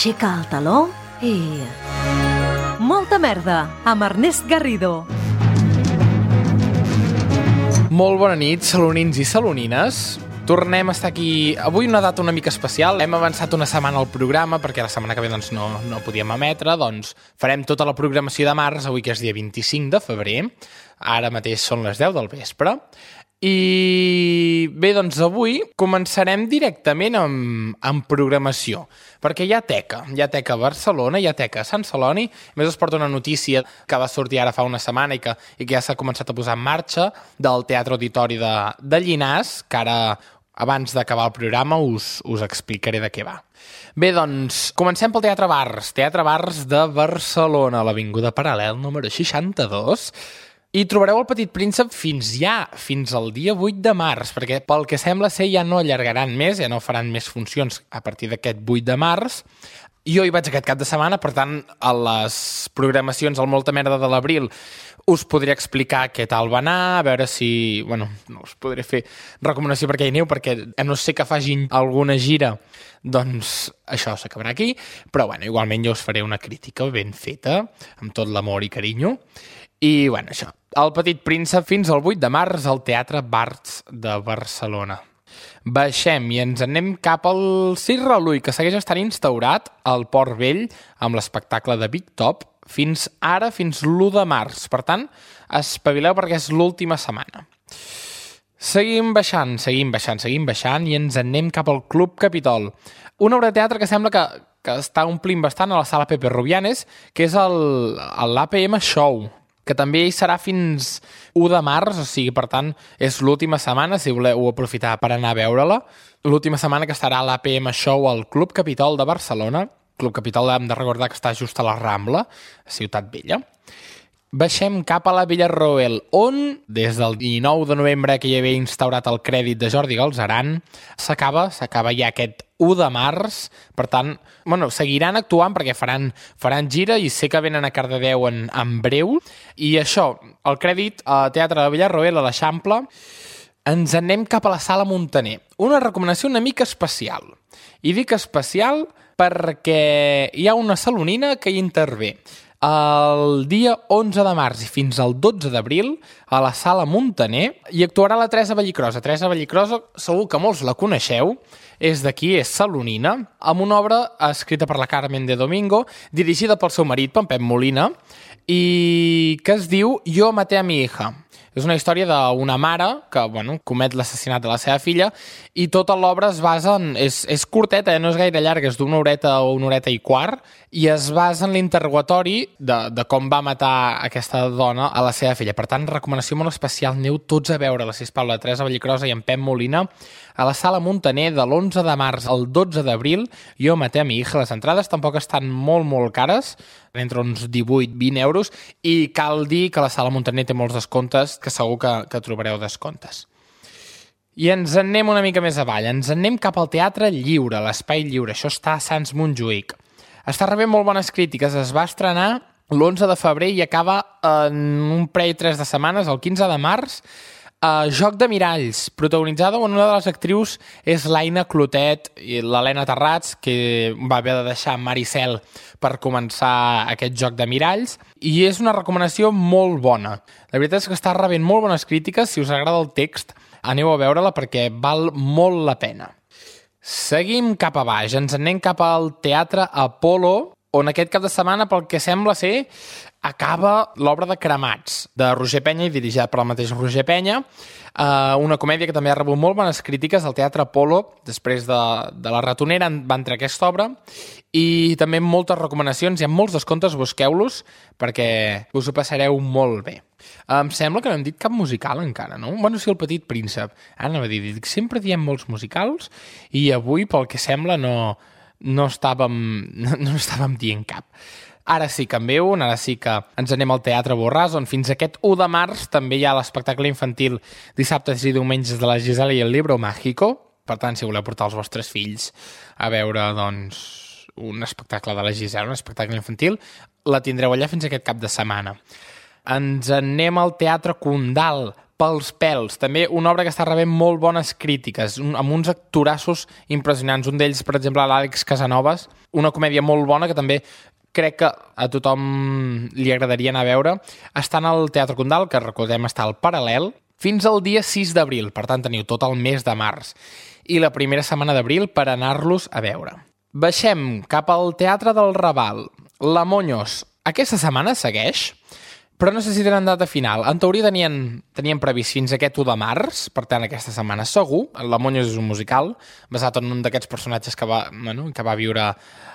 aixeca el taló i... Molta merda, amb Ernest Garrido. Molt bona nit, salonins i salonines. Tornem a estar aquí. Avui una data una mica especial. Hem avançat una setmana al programa perquè la setmana que ve no podíem emetre. Doncs farem tota la programació de març, avui que és dia 25 de febrer. Ara mateix són les 10 del vespre. I bé, doncs avui començarem directament amb programació, perquè hi ha teca a Barcelona, hi ha teca a Sant Celoni. A més, us porto una notícia que va sortir ara fa una setmana i que ja s'ha començat a posar en marxa del Teatre Auditori de Llinars, que ara, abans d'acabar el programa, us explicaré de què va. Bé, doncs, comencem pel Teatre Bars de Barcelona, a l'Avinguda Paral·lel número 62, i trobareu el Petit Príncep fins al dia 8 de març, perquè pel que sembla ser ja no allargaran més, ja no faran més funcions a partir d'aquest 8 de març. Jo hi vaig aquest cap de setmana, per tant, a les programacions al Molta Merda de l'abril us podré explicar què tal va anar, a veure si... Bueno, no us podré fer recomanació perquè hi aneu, perquè a no ser que facin alguna gira, doncs això s'acabarà aquí, però bueno, igualment jo us faré una crítica ben feta, amb tot l'amor i carinyo. I, bueno, això, el Petit Príncep fins al 8 de març al Teatre Bars de Barcelona. Baixem i ens anem cap al Circ Relull, que segueix estant instaurat al Port Vell amb l'espectacle de Big Top fins l'1 de març. Per tant, espavileu perquè és l'última setmana. Seguim baixant i ens anem cap al Club Capitol. Una obra de teatre que sembla que està omplint bastant a la sala Pepe Rubianes, que és l'APM Show, que també hi serà fins 1 de març, o sigui, per tant, és l'última setmana, si voleu aprofitar per anar a veure-la. L'última setmana que estarà l'APM Show al Club Capitol de Barcelona. Club Capitol hem de recordar que està just a la Rambla, a Ciutat Vella. Baixem cap a la Villarroel, on, des del 19 de novembre que hi havia instaurat el crèdit de Jordi Galzeran, s'acaba ja aquest 1 de març. Per tant, bueno, seguiran actuant perquè faran gira i sé que venen a Cardedeu en breu. I això, el crèdit a Teatre de Villarroel, a l'Eixample. Ens anem cap a la Sala Muntaner. Una recomanació una mica especial. I dic especial perquè hi ha una salonina que hi intervé. El dia 11 de març i fins al 12 d'abril a la Sala Muntaner hi actuarà la Teresa Vallicrosa. Teresa Vallicrosa, segur que molts la coneixeu, és d'aquí, és salonina, amb una obra escrita per la Carmen de Domingo, dirigida pel seu marit, en Pep Molina, i que es diu Yo maté a mi hija. És una història d'una mare que comet l'assassinat de la seva filla i tota l'obra es basa en... És curteta, no és gaire llarga, és d'una horeta o una horeta i quart, i es basa en l'interrogatori de com va matar aquesta dona a la seva filla. Per tant, recomanació molt especial, aneu tots a veure-la, sisplau, la Teresa Vallicrosa i en Pep Molina, a la Sala Muntaner de l'11 de març al 12 d'abril. Jo maté a mi hija. Les entrades tampoc estan molt, molt cares, entre uns 18-20 euros, i cal dir que la Sala Muntaner té molts descomptes, que segur que trobareu descomptes. I ens anem una mica més avall, ens anem cap al Teatre Lliure, l'Espai Lliure, això està a Sants Montjuïc. Està rebent molt bones crítiques, es va estrenar l'11 de febrer i acaba en un parell 3 de setmanes, el 15 de març, Joc de miralls, protagonitzada on una de les actrius és l'Aina Clotet i l'Helena Terrats, que va haver de deixar Maricel per començar aquest Joc de miralls, i és una recomanació molt bona. La veritat és que està rebent molt bones crítiques. Si us agrada el text, aneu a veure-la perquè val molt la pena. Seguim cap a baix, ens anem cap al Teatre Apolo, on aquest cap de setmana, pel que sembla ser, acaba l'obra de Cremats, de Roger Penya i dirigida per el mateix Roger Penya, una comèdia que també ha rebut molt bones crítiques al Teatre Apolo. Després de La ratonera va entrar aquesta obra, i també moltes recomanacions, hi ha molts descomptes, busqueu-los perquè us ho passareu molt bé. Em sembla que no hem dit cap musical encara, no? Bueno, sí, el Petit Príncep. Ara anava a dir, sempre diem molts musicals i avui, pel que sembla, no estàvem dient cap. Ara sí que en ve un, ara sí que ens anem al Teatre Borràs, on fins aquest 1 de març també hi ha l'espectacle infantil dissabtes i diumenges de la Gisela i el Libro Mágico. Per tant, si voleu portar els vostres fills a veure, doncs, un espectacle de la Gisela, un espectacle infantil, la tindreu allà fins aquest cap de setmana. Ens anem al Teatre Condal pels pèls. També una obra que està rebent molt bones crítiques, amb uns actorassos impressionants. Un d'ells, per exemple, l'Àlex Casanovas, una comèdia molt bona que també crec que a tothom li agradaria anar a veure. Està al Teatre Condal, que recordem està al Paral·lel, fins al dia 6 d'abril. Per tant, teniu tot el mes de març. I la primera setmana d'abril per anar-los a veure. Baixem cap al Teatre del Raval. La Monyos. Aquesta setmana segueix, però no sé si tenen data final. En teoria tenien previst fins aquest 1 de març, per tant aquesta setmana segur. La Monyos és un musical basat en un d'aquests personatges que va viure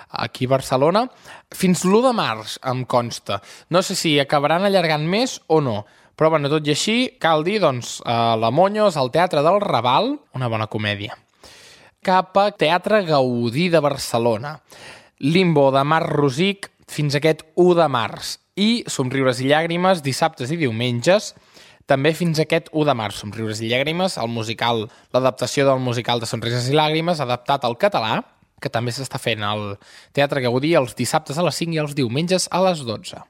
aquí a Barcelona. Fins l'1 de març, em consta. No sé si acabaran allargant més o no, però tot i així cal dir, La Monyos, al Teatre del Raval, una bona comèdia. Cap a Teatre Gaudí de Barcelona. Limbo de Marc Rosic fins aquest 1 de març. I Somriures i llàgrimes, dissabtes i diumenges, també fins aquest 1 de març. Somriures i llàgrimes, l'adaptació del musical de Somriures i llàgrimes, adaptat al català, que també s'està fent al Teatre Gaudí els dissabtes a les 5 i els diumenges a les 12.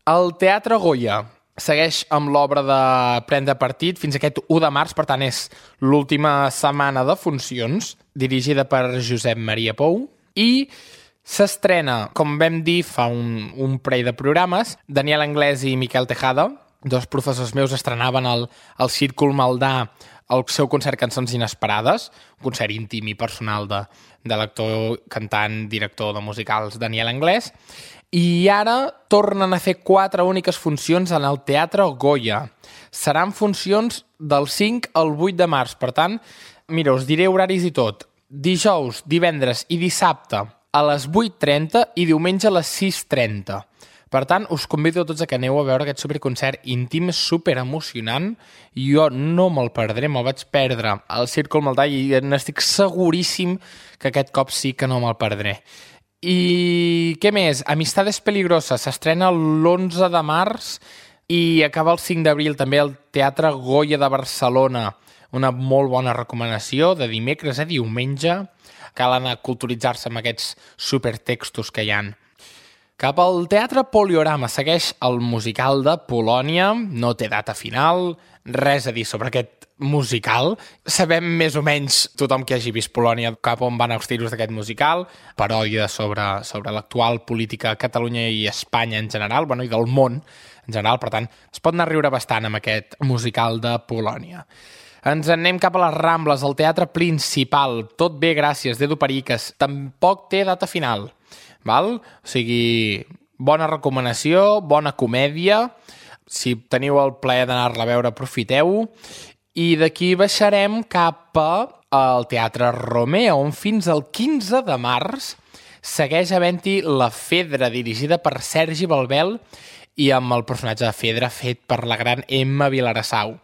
El Teatre Goya segueix amb l'obra de Prendre Partit fins aquest 1 de març, per tant és l'última setmana de funcions, dirigida per Josep Maria Pou, i s'estrena, com vam dir fa un parell de programes, Daniel Anglès i Miquel Tejada, dos professors meus, estrenaven al Círcul Maldà el seu concert Cançons Inesperades, un concert íntim i personal de l'actor, cantant, director de musicals Daniel Anglès, i ara tornen a fer 4 úniques funcions en el Teatre Goya. Seran funcions del 5 al 8 de març, per tant, mira, us diré horaris i tot. Dijous, divendres i dissabte a les 8:30 i diumenge a les 6:30. Per tant, us convido a tots a que aneu a veure aquest superconcert íntim, superemocionant. Jo no me'l perdré, me'l vaig perdre al Círcul Maldà i n'estic seguríssim que aquest cop sí que no me'l perdré. I què més? Amistades Peligrosas s'estrena l'11 de març i acaba el 5 d'abril també al Teatre Goya de Barcelona. Una molt bona recomanació de dimecres a diumenge. Cal anar a culturitzar-se amb aquests supertextos que hi ha. Cap al Teatre Poliorama segueix el musical de Polònia. No té data final, res a dir sobre aquest musical. Sabem més o menys, tothom que hagi vist Polònia, cap on van els tiros d'aquest musical. Paròdia sobre l'actual política a Catalunya i Espanya en general, i del món en general. Per tant, es pot anar a riure bastant amb aquest musical de Polònia. Ens anem cap a les Rambles, al Teatre Principal. Tot bé, gràcies, d'Edu Periques. Tampoc té data final. Val? O sigui, bona recomanació, bona comèdia. Si teniu el plaer d'anar-la a veure, aprofiteu. I d'aquí baixarem cap al Teatre Romea, on fins al 15 de març segueix havent-hi La Fedra, dirigida per Sergi Balbel i amb el personatge de Fedra fet per la gran Emma Vilarassau.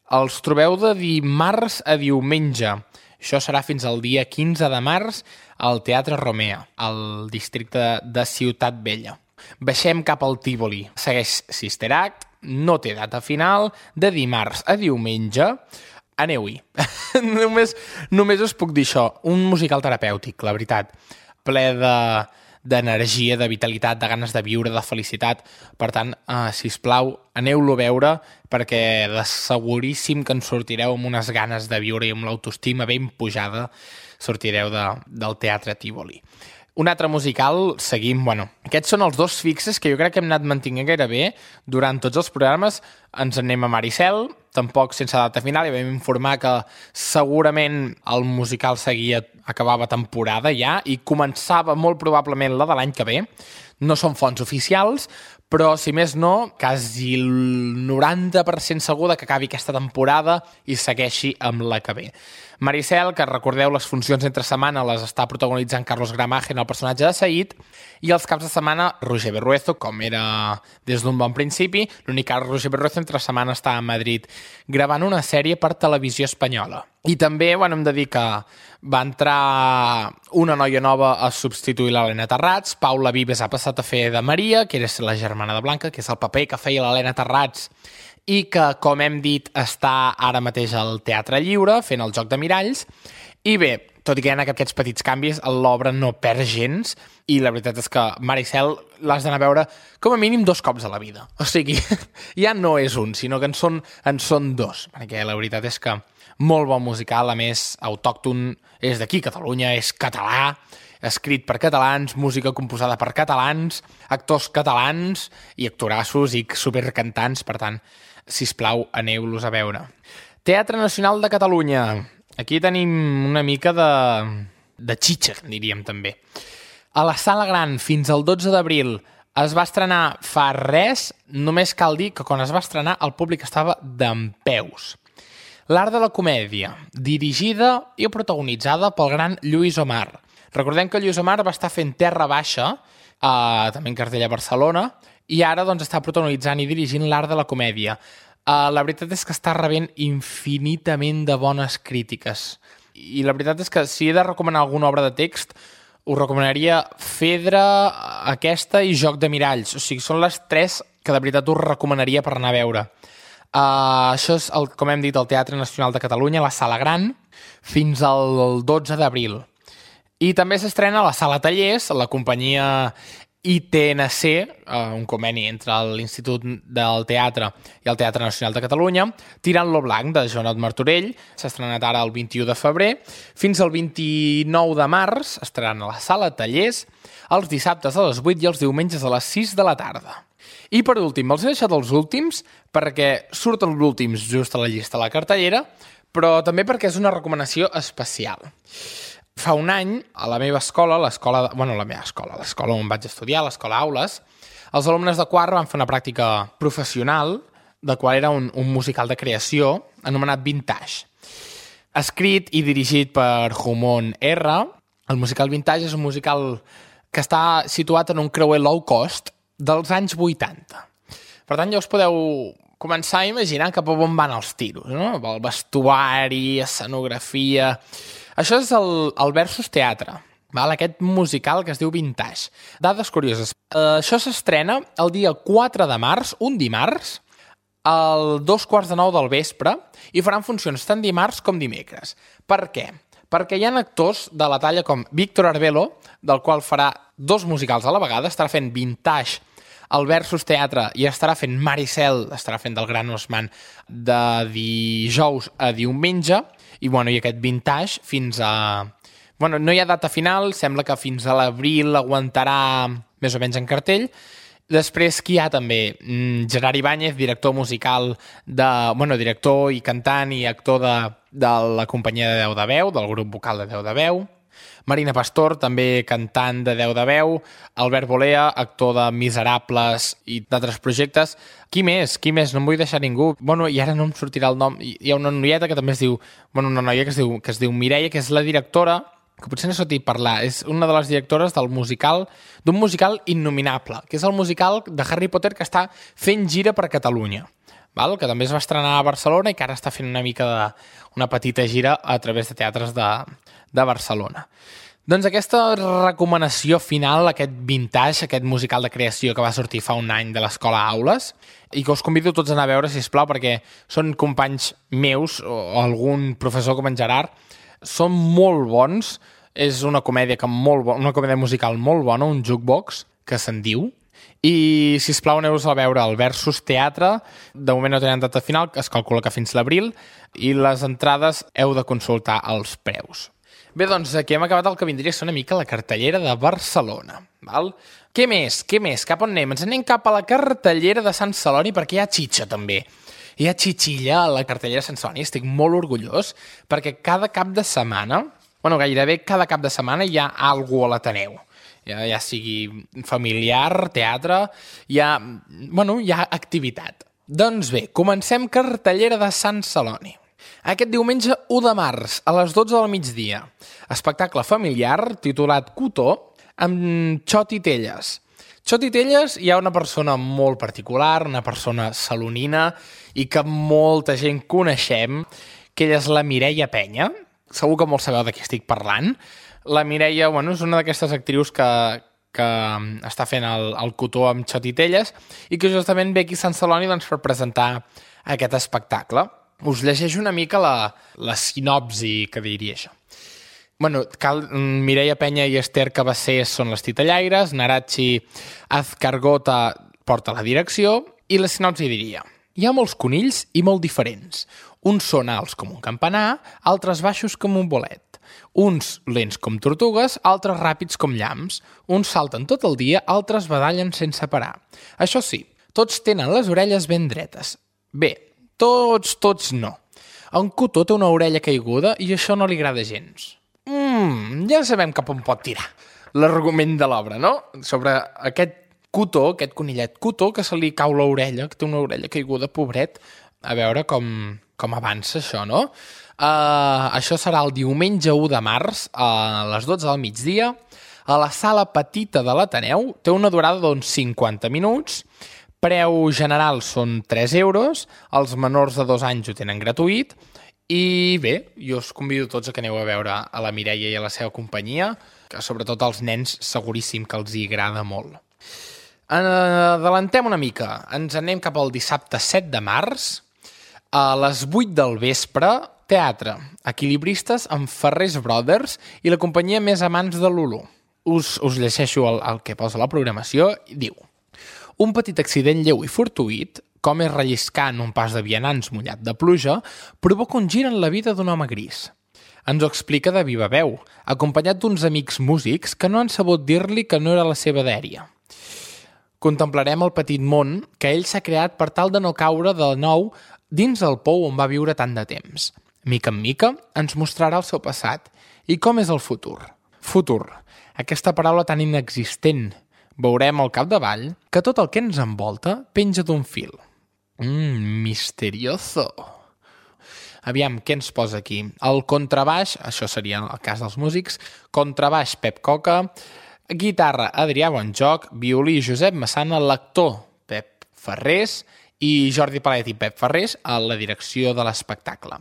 Els trobeu de dimarts a diumenge. Això serà fins al dia 15 de març al Teatre Romea, al districte de Ciutat Vella. Baixem cap al Tívoli. Segueix Sister Act, no té data final, de dimarts a diumenge. Aneu-hi. només us puc dir això. Un musical terapèutic, la veritat. Ple d'energia, de vitalitat, de ganes de viure, de felicitat. Per tant, sisplau, aneu-lo a veure perquè de seguríssim que en sortireu amb unes ganes de viure i amb l'autoestima ben pujada sortireu del Teatre Tívoli. Un altre musical, seguim, aquests són els 2 fixes que jo crec que hem anat mantenint gairebé durant tots els programes. Ens anem a Maricel, tampoc sense data final, i vam informar que segurament el musical acabava temporada ja i començava molt probablement la de l'any que ve. No són fonts oficials, però si més no, quasi el 90% segur que acabi aquesta temporada i segueixi amb la que ve. Maricel, que recordeu, les funcions entre setmana les està protagonitzant Carlos Gramagen, el personatge de Said, i els caps de setmana Roger Berruezo, com era des d'un bon principi. L'únic que Roger Berruezo entre setmana està a Madrid gravant una sèrie per Televisió Espanyola. I també hem de dir que va entrar una noia nova a substituir l'Helena Terrats. Paula Vives ha passat a fer de Maria, que era la germana de Blanca, que és el paper que feia l'Helena Terrats i que, com hem dit, està ara mateix al Teatre Lliure fent el Joc de Miralls. I bé, tot i que hi ha aquests petits canvis, l'obra no perd gens, i la veritat és que Maricel l'has d'anar a veure com a mínim 2 cops a la vida. O sigui, ja no és un, sinó que en són 2, perquè la veritat és que molt bon musical, a més, autòcton, és d'aquí, Catalunya, és català, escrit per catalans, música composada per catalans, actors catalans i actorassos i supercantants, per tant, sisplau, aneu-los a veure. Teatre Nacional de Catalunya. Aquí tenim una mica de xitxa, diríem també. A la Sala Gran, fins al 12 d'abril, es va estrenar fa res, només cal dir que quan es va estrenar el públic estava dempeus. L'Art de la Comèdia, dirigida i protagonitzada pel gran Lluís Omar. Recordem que Lluís Omar va estar fent Terra Baixa, també en cartell a Barcelona, i ara doncs, està protagonitzant i dirigint l'Art de la Comèdia. La veritat és que està rebent infinitament de bones crítiques. I la veritat és que si he de recomanar alguna obra de text, us recomanaria Fedra, aquesta i Joc de Miralls. O sigui, són les 3 que de veritat us recomanaria per anar a veure. Això és, com hem dit, el Teatre Nacional de Catalunya, la Sala Gran, fins al 12 d'abril. I també s'estrena a la Sala Tallers, la companyia ITNC, un conveni entre l'Institut del Teatre i el Teatre Nacional de Catalunya, Tirant lo Blanc, de Joanot Martorell, s'ha estrenat ara el 21 de febrer, fins al 29 de març, estaran a la Sala Tallers, els dissabtes a les 8 i els diumenges a les 6 de la tarda. I per últim, els he deixat els últims, perquè surten els últims just a la llista de la cartellera, però també perquè és una recomanació especial. Fa un any, a la meva escola, l'escola on vaig estudiar, l'escola Aules, els alumnes de quart van fer una pràctica professional, de qual era un musical de creació, anomenat Vintage. Escrit i dirigit per Humon R, el musical Vintage és un musical que està situat en un creuer low cost dels anys 80. Per tant, ja us podeu començar a imaginar cap a on van els tiros, no? El vestuari, escenografia... Això és el Versus Teatre, aquest musical que es diu Vintage. Dades curioses. Això s'estrena el dia 4 de març, un dimarts, al 2:45 del vespre, i faran funcions tant dimarts com dimecres. Per què? Perquè hi ha actors de la talla com Víctor Arbelo, del qual farà 2 musicals a la vegada, estarà fent Vintage al Versus Teatre i estarà fent Maricel, estarà fent del Gran Osman de dijous a diumenge, i aquest Vintage fins a... no hi ha data final, sembla que fins a l'abril aguantarà més o menys en cartell. Després qui hi ha també? Gerard Ibáñez, director musical, director i cantant i actor de la companyia de 10 de veu, del grup vocal de 10 de veu. Marina Pastor, també cantant de 10 de veu. Albert Bolea, actor de Miserables i d'altres projectes. Qui més? No em vull deixar ningú. I ara no em sortirà el nom. Hi ha una noieta que també es diu... una noia que es diu Mireia, que és la directora, que potser no s'ha dit parlar, és una de les directores d'un musical innominable, que és el musical de Harry Potter que està fent gira per Catalunya, que també es va estrenar a Barcelona i que ara està fent una petita gira a través de teatres de Barcelona. Doncs aquesta recomanació final, aquest Vintage, aquest musical de creació que va sortir fa un any de l'Escola Aules, i que us convido tots a anar a veure, sisplau, perquè són companys meus o algun professor com en Gerard, són molt bons, és una comèdia una comèdia musical molt bona, un jukebox, que se'n diu, i sisplau aneu-vos a veure el Versus Teatre. De moment no tenen data final, es calcula que fins l'abril, i les entrades heu de consultar els preus. Bé, doncs aquí hem acabat el que vindria a ser una mica la cartellera de Barcelona. Què més? Cap on anem? Ens anem cap a la cartellera de Sant Celoni, perquè hi ha xitxa també. Hi ha xitxilla a la cartellera de Sant Celoni, estic molt orgullós, perquè cada cap de setmana, gairebé cada cap de setmana hi ha alguna a l'Ateneu. Ja sigui familiar, teatre, hi ha activitat. Doncs bé, comencem cartellera de Sant Celoni. Aquest diumenge 1 de març, a les 12 del migdia, espectacle familiar titulat Cotó, amb Xoti Telles. Xoti Telles hi ha una persona molt particular, una persona salonina, i que molta gent coneixem, que ella és la Mireia Penya. Segur que molts sabeu de qui estic parlant. La Mireia, és una d'aquestes actrius que està fent el Cotó amb Xoti Telles i que justament ve aquí a Sant Celoni per presentar aquest espectacle. Us llegeixo una mica la sinopsi que diria això. Mireia Penya i Esther Cabassés són les titellaires, Narachi Azcargota porta la direcció, i la sinopsi diria: hi ha molts conills i molt diferents. Uns són alts com un campanar, altres baixos com un bolet. Uns lents com tortugues, altres ràpids com llamps. Uns salten tot el dia, altres badallen sense parar. Això sí, tots tenen les orelles ben dretes. Bé, tots no. En Cotó té una orella caiguda i això no li agrada gens. Ja sabem cap on pot tirar l'argument de l'obra, no? Sobre aquest Cotó, aquest conillet Cotó, que se li cau l'orella, que té una orella caiguda, pobret. A veure com avança això, no? Això serà el diumenge 1 de març a les 12 del migdia a la sala petita de l'Ateneu. Té una durada d'uns 50 minuts. Preu general són 3 euros. Els menors de 2 anys ho tenen gratuït. I bé, jo us convido tots a que aneu a veure a la Mireia i a la seva companyia, que sobretot als nens seguríssim que els hi agrada molt. Adelantem una mica. Ens anem cap al dissabte 7 de març. A les 8 del vespre, teatre, equilibristes amb Ferrés Brothers i la companyia més amants de Lulu. Us llegeixo el que posa la programació i diu: un petit accident lleu i fortuït, com és relliscar en un pas de vianants mullat de pluja, provoca un gir en la vida d'un home gris. Ens ho explica de viva veu, acompanyat d'uns amics músics que no han sabut dir-li que no era la seva dèria. Contemplarem el petit món que ell s'ha creat per tal de no caure de nou dins el pou on va viure tant de temps. Mica en mica ens mostrarà el seu passat i com és el futur. Futur, aquesta paraula tan inexistent. Veurem al capdavall que tot el que ens envolta penja d'un fil. Misterioso. Aviam, què ens posa aquí? El contrabaix, això seria el cas dels músics, contrabaix Pep Coca, guitarra Adrià Bonjoc, violí Josep Massana, l'actor Pep Ferrés i Jordi Palet i Pep Ferrés a la direcció de l'espectacle.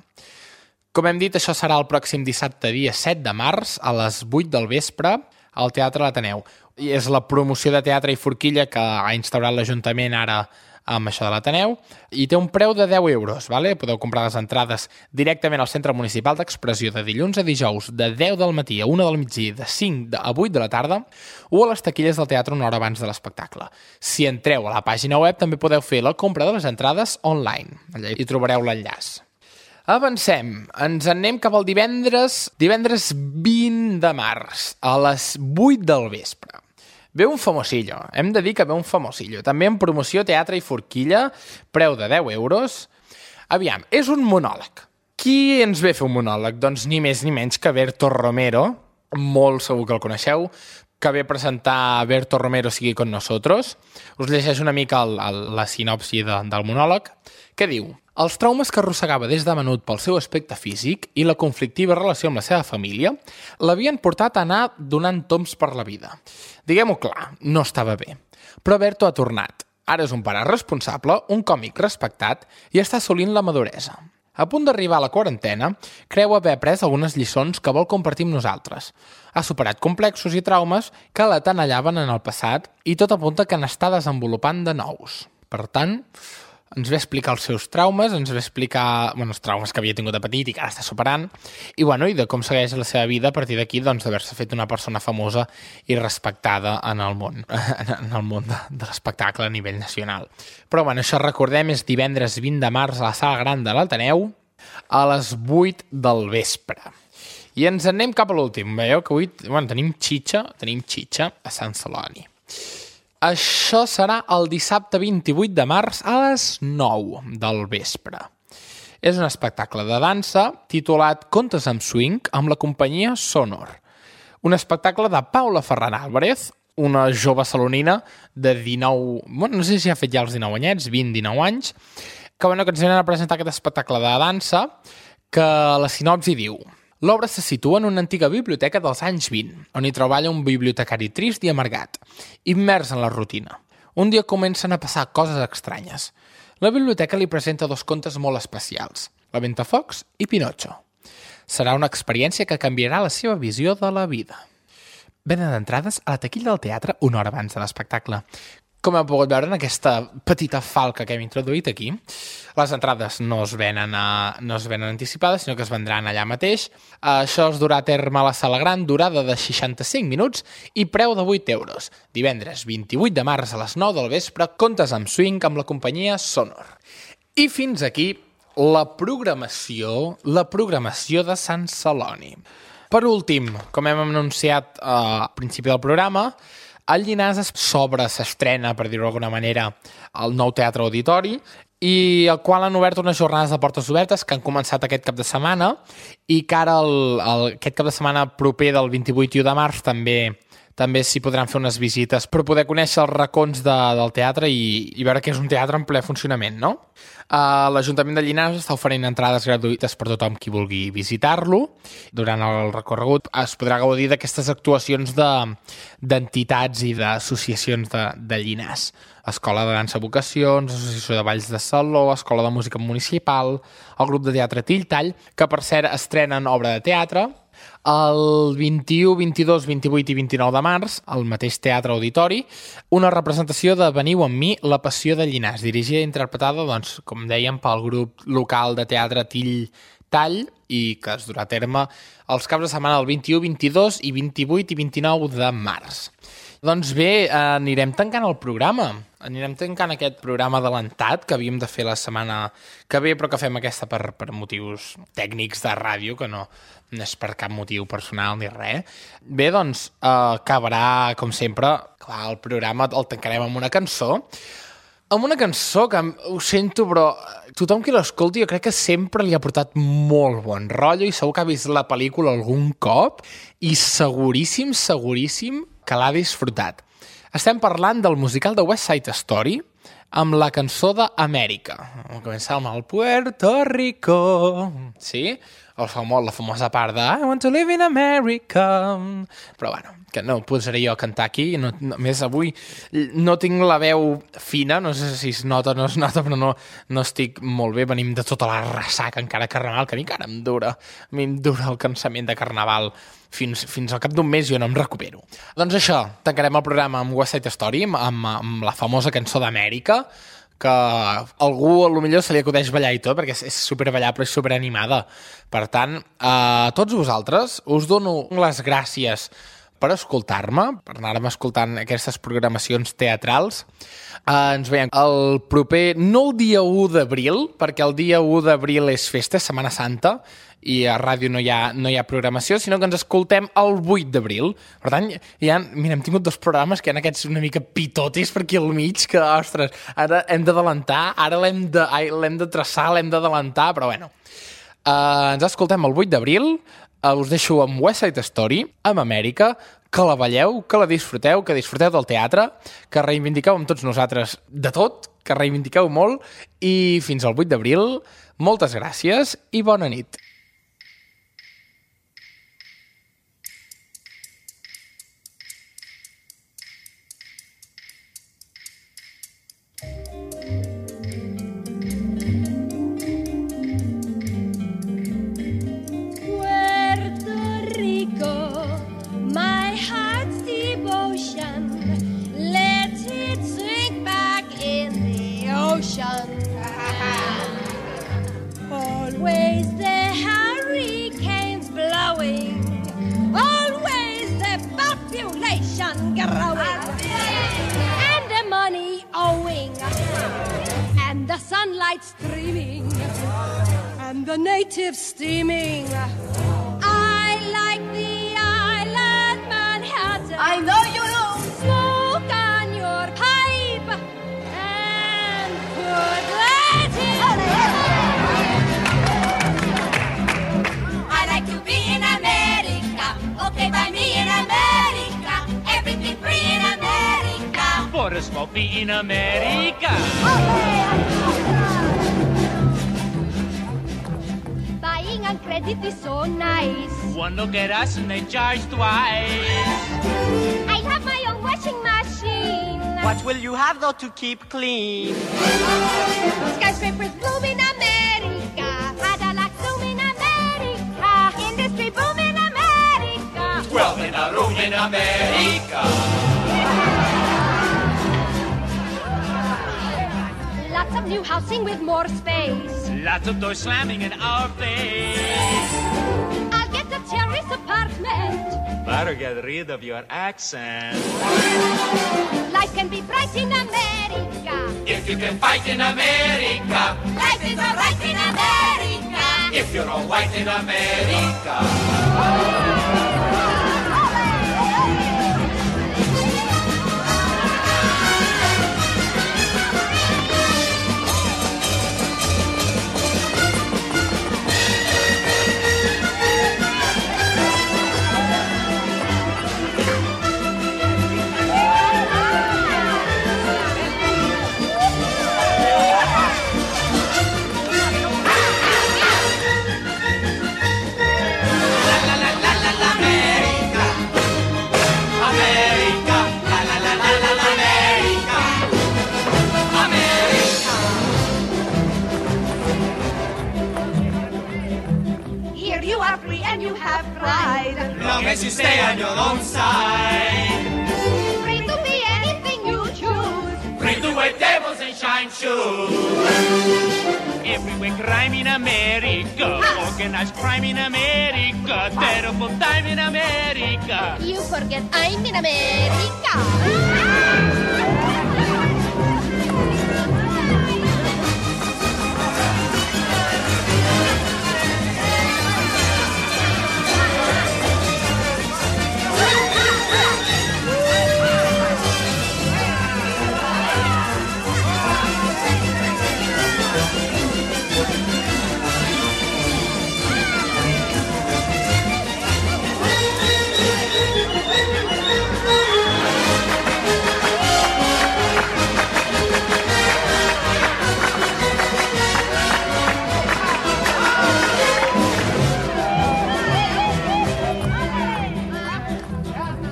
Com hem dit, això serà el pròxim dissabte, dia 7 de març, a les 8 del vespre, al Teatre l'Ateneu. I és la promoció de teatre i forquilla que ha instaurat l'Ajuntament ara amb això de l'Ateneu, i té un preu de 10 euros. Vale? Podeu comprar les entrades directament al Centre Municipal d'Expressió de dilluns a dijous, de 10 del matí a 1 del migdia, de 5 a 8 de la tarda, o a les taquilles del teatre una hora abans de l'espectacle. Si entreu a la pàgina web també podeu fer la compra de les entrades online. Allà hi trobareu l'enllaç. Avancem. Ens anem cap al divendres 20 de març, a les 8 del vespre. Ve un famosillo, hem de dir que ve un famosillo. També en promoció teatre i forquilla, preu de 10 euros. Aviam, és un monòleg. Qui ens ve a fer un monòleg? Doncs ni més ni menys que Berto Romero, molt segur que el coneixeu, que ve a presentar Berto Romero Sigui con nosotros. Us llegeix una mica la sinopsi del monòleg, que diu: els traumes que arrossegava des de menut pel seu aspecte físic i la conflictiva relació amb la seva família l'havien portat a anar donant tombs per la vida. Diguem-ho clar, no estava bé. Però Berto ha tornat. Ara és un pare responsable, un còmic respectat i està assolint la maduresa. A punt d'arribar a la quarantena, creu haver après algunes lliçons que vol compartir amb nosaltres. Ha superat complexos i traumes que la tenallaven en el passat i tot apunta que n'està desenvolupant de nous. Per tant, ens va explicar els seus traumes, ens va explicar els traumes que havia tingut de petit i que ara està superant, i de com segueix la seva vida a partir d'aquí, d'haver-se fet una persona famosa i respectada en el món de l'espectacle a nivell nacional. Però això recordem, és divendres 20 de març a la Sala Gran de l'Ateneu a les 8 del vespre. I ens anem cap a l'últim. Veieu que avui tenim xitxa a Sant Celoni. Això serà el dissabte 28 de març a les 9 del vespre. És un espectacle de dansa titulat Contes amb swing amb la companyia Sonor. Un espectacle de Paula Ferran Álvarez, una jove salonina de 19... no sé si ha fet ja els 19 anyets, 20-19 anys, que ens venen a presentar aquest espectacle de dansa que la sinopsi diu: l'obra se situa en una antiga biblioteca dels anys 20, on hi treballa un bibliotecari trist i amargat, immers en la rutina. Un dia comencen a passar coses estranyes. La biblioteca li presenta 2 contes molt especials, La Ventafocs i Pinocho. Serà una experiència que canviarà la seva visió de la vida. Venen d'entrades a la taquilla del teatre una hora abans de l'espectacle. Com heu pogut veure en aquesta petita falca que hem introduït aquí, les entrades no es venen anticipades, sinó que es vendran allà mateix. Això es durà a terme a la Sala Gran, durada de 65 minuts i preu de 8 euros. Divendres 28 de març a les 9 del vespre, contes amb swing amb la companyia Sonor. I fins aquí la programació de Sant Celoni. Per últim, com hem anunciat al principi del programa, el Llinars s'estrena, per dir-ho d'alguna manera, el nou Teatre Auditori, i el qual han obert unes jornades de portes obertes que han començat aquest cap de setmana i que ara aquest cap de setmana proper del 28 de març també s'hi podran fer unes visites per poder conèixer els racons del teatre i veure que és un teatre en ple funcionament, no? L'Ajuntament de Llinars està oferint entrades gratuïtes per tothom qui vulgui visitar-lo. Durant el recorregut es podrà gaudir d'aquestes actuacions d'entitats i d'associacions de Llinars. Escola de Dansa Vocacions, Associació de Balls de Saló, Escola de Música Municipal, el grup de teatre Tilltall, que per cert estrenen obra de teatre, el 21, 22, 28 i 29 de març, al mateix Teatre Auditori, una representació de Veniu amb mi, La Passió de Llinars, dirigida i interpretada, doncs, com dèiem, pel grup local de teatre Tilltall i que es durà a terme els caps de setmana del 21, 22 i 28 i 29 de març. Doncs bé, anirem tancant el programa. Anirem tancant aquest programa adelantat que havíem de fer la setmana que ve, però que fem aquesta per motius tècnics de ràdio, que no és per cap motiu personal ni res. Bé, doncs, acabarà, com sempre, clar, el programa el tancarem amb una cançó. Amb una cançó que, ho sento, però tothom qui l'escolti jo crec que sempre li ha portat molt bon rotllo i segur que ha vist la pel·lícula algun cop i seguríssim que l'ha disfrutat. Estem parlant del musical de West Side Story amb la cançó d'Amèrica. Comença amb el Puerto Rico, sí? La famosa part de I want to live in America. Però bueno, que no posaré jo a cantar aquí. A més, avui no tinc la veu fina, no sé si es nota o no es nota, però no estic molt bé. Venim de tota la ressaca encara carnaval, que a mi encara em dura. A mi em dura el cansament de carnaval. Fins al cap d'un mes jo no em recupero. Doncs això, tancarem el programa amb West Side Story, amb la famosa cançó d'Amèrica, que a algú potser se li acudeix ballar i tot, perquè és superballable i superanimada. Per tant, a tots vosaltres us dono les gràcies per escoltar-me, per anar-me escoltant aquestes programacions teatrals. Ens veiem el proper, no el dia 1 d'abril, perquè el dia 1 d'abril és festa, Setmana Santa, i a ràdio no hi ha programació, sinó que ens escoltem el 8 d'abril. Per tant, mira, hem tingut 2 programes que hi ha aquests una mica pitotis per aquí al mig, que, ostres, ara hem d'adelantar, ara l'hem de traçar, l'hem d'adelantar, però bueno. Ens escoltem el 8 d'abril, us deixo amb West Side Story, amb Amèrica, que la balleu, que la disfruteu, que disfruteu del teatre, que reivindiqueu amb tots nosaltres de tot, que reivindiqueu molt, i fins al 8 d'abril, moltes gràcies i bona nit. Always the hurricanes blowing, always the population growing, and the money owing, and the sunlight streaming, and the natives steaming. I like the island Manhattan. I know you do. Smoke on your pipe and put Latin. I like to be in America. Okay, by me in America. Everything free in America. For a smoke me in America. Buying on credit is so nice. One look at us and they charge twice. I have my own washing machine. What will you have though to keep clean? Skyscrapers bloom in America. Cadillac bloom in America. Industry boom in America. 12 in a room in America. some new housing with more space. Lots of doors slamming in our face. I'll get a terrace apartment. Better get rid of your accent. Life can be bright in America. If you can fight in America. Life is alright in America. If you're all white in America. Long as you stay on your own side. Free to be anything you choose. Free to wear tables and shine shoes. Everywhere crime in America. Organized crime in America. Terrible time in America. You forget I'm in America.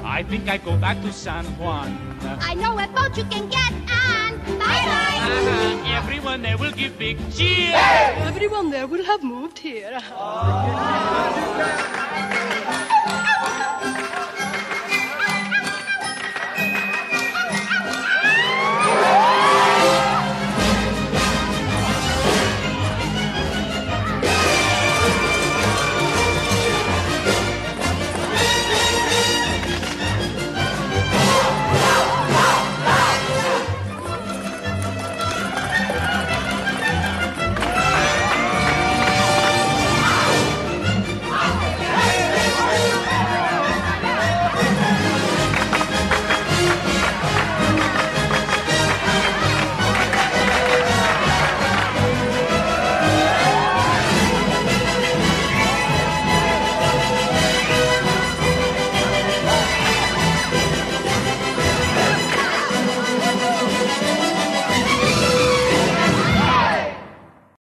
I think I go back to San Juan. I know a boat you can get on. Bye-bye. Everyone there will give big cheers. Everyone there will have moved here.